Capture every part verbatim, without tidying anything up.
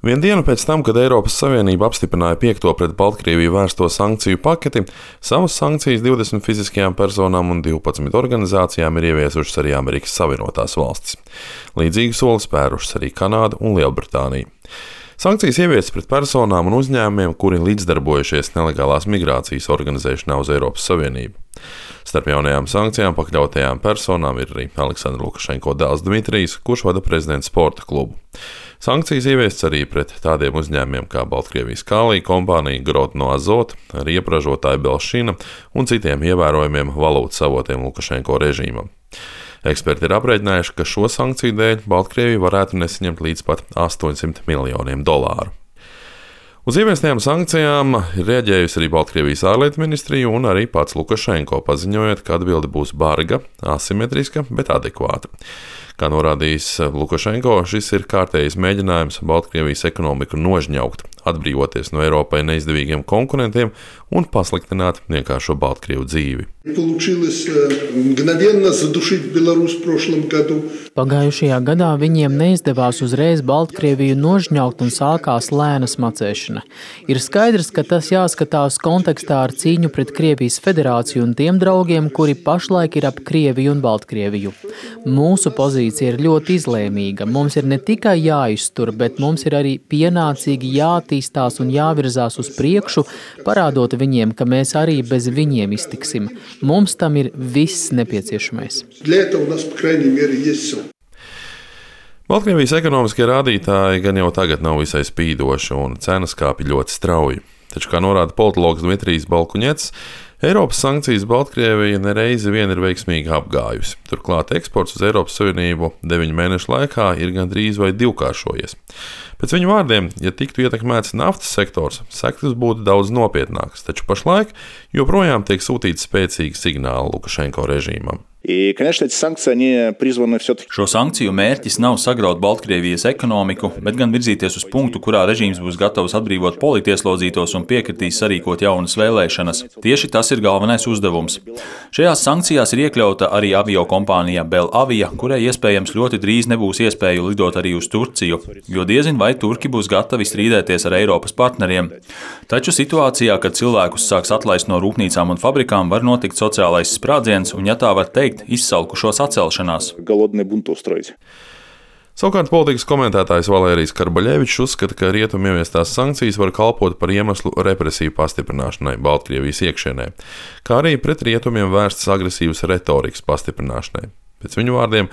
Vienu dienu pēc tam, kad Eiropas Savienība apstiprināja piekto pret Baltkrieviju vērsto sankciju paketi, savas sankcijas divdesmit fiziskajām personām un divpadsmit organizācijām ir ieviesušas arī Amerikas Savienotās valstis. Līdzīgu soli spērušas arī Kanāda un Lielbritānija. Sankcijas ieviestas pret personām un uzņēmumiem, kuri līdzdarbojušies nelegālās migrācijas organizēšanā uz Eiropas Savienību. Starp jaunajām sankcijām pakļautajām personām ir arī Aleksandra Lukašenko dēls Dmitrijs, kurš vada prezidenta sporta klubu. Sankcijas ieviestas arī pret tādiem uzņēmumiem kā Baltkrievijas Kālija kompānija, Grodno Azot, riepražotāja Belšina un citiem ievērojumiem valūtas avotiem Lukašenko režīmam. Eksperti ir aprēķinājuši, ka šo sankciju dēļ Baltkrievija varētu nesaņemt līdz pat astoņsimt miljoniem dolāru. Uz ieviestajām sankcijām ir reaģējusi arī Baltkrievijas ārlietu ministrija un arī pats Lukašenko, paziņojot, ka atbilde būs barga, asimetriska, bet adekvāta. Kā norādījis Lukašenko, šis ir kārtējs mēģinājums Baltkrievijas ekonomiku nožņaukt, atbrīvoties no Eiropai neizdevīgiem konkurentiem un pasliktināt vienkāršo Baltkrievu dzīvi. Pagājušajā gadā viņiem neizdevās uzreiz Baltkrieviju nožņaukt un sākās lēna smacēšana. Ir skaidrs, ka tas jāskatās kontekstā ar cīņu pret Krievijas federāciju un tiem draugiem, kuri pašlaik ir ap Krieviju un Baltkrieviju. Mūsu pozīcija ir ļoti izlēmīga. Mums ir ne tikai jāiztur, bet mums ir arī pienācīgi jātīstās un jāvirzās uz priekšu, parādot viņiem, ka mēs arī bez viņiem iztiksim. Mums tam ir viss nepieciešamais. Baltkrievijas ekonomiskie rādītāji gan jau tagad nav visai spīdoši un cenas kāpj ļoti strauji. Taču, kā norāda politologs Dmitrijs Balkuņets, Eiropas sankcijas Baltkrievija nereizi vien ir veiksmīgi apgājusi. Turklāt eksports uz Eiropas Savienību deviņu mēnešu laikā ir gandrīz vai divkāršojies. Pēc viņa vārdiem, ja tiktu ietekmēts naftas sektors, sekas būtu daudz nopietnākas, taču pašlaik joprojām tiek sūtīti spēcīgi signāli Lukašenko režīmam. И, конечно, эти санкции, они призваны все-таки... Šo sankciju mērķis nav sagraut Baltkrievijas ekonomiku, bet gan virzīties uz punktu, kurā režīms būs gatavs atbrīvot politieslodzītos un piekritīs sarīkot jaunas vēlēšanas. Tieši tas ir galvenais uzdevums. Šajās sankcijās ir iekļauta arī avio kompānija Belavia, kurai iespējams ļoti drīz nebūs iespēju lidot arī uz Turciju, jo diezin vai turki būs gatavi strīdēties ar Eiropas partneriem. Taču situācijā, kad cilvēkus sāks atlaist no rūpnīcām un fabrikām, var notikt sociālais sprādziens, un ja tā var teikt, izsalkušos atcelšanās. Savukārt politikas komentētājs Valērijs Karbaļevičs uzskata, ka rietumu ieviestās sankcijas var kalpot par iemeslu represiju pastiprināšanai Baltkrievijas iekšienē, kā arī pret rietumiem vērstas agresīvas retorikas pastiprināšanai. Pēc viņu vārdiem,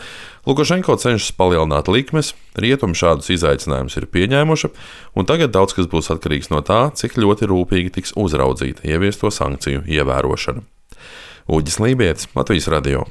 Lukašenko cenšas palielināt likmes, rietumi šādus izaicinājumus ir pieņēmuši, un tagad daudz kas būs atkarīgs no tā, cik ļoti rūpīgi tiks uzraudzīta ieviesto sankciju ievērošana. Uģis Lībietis, Latvijas radio.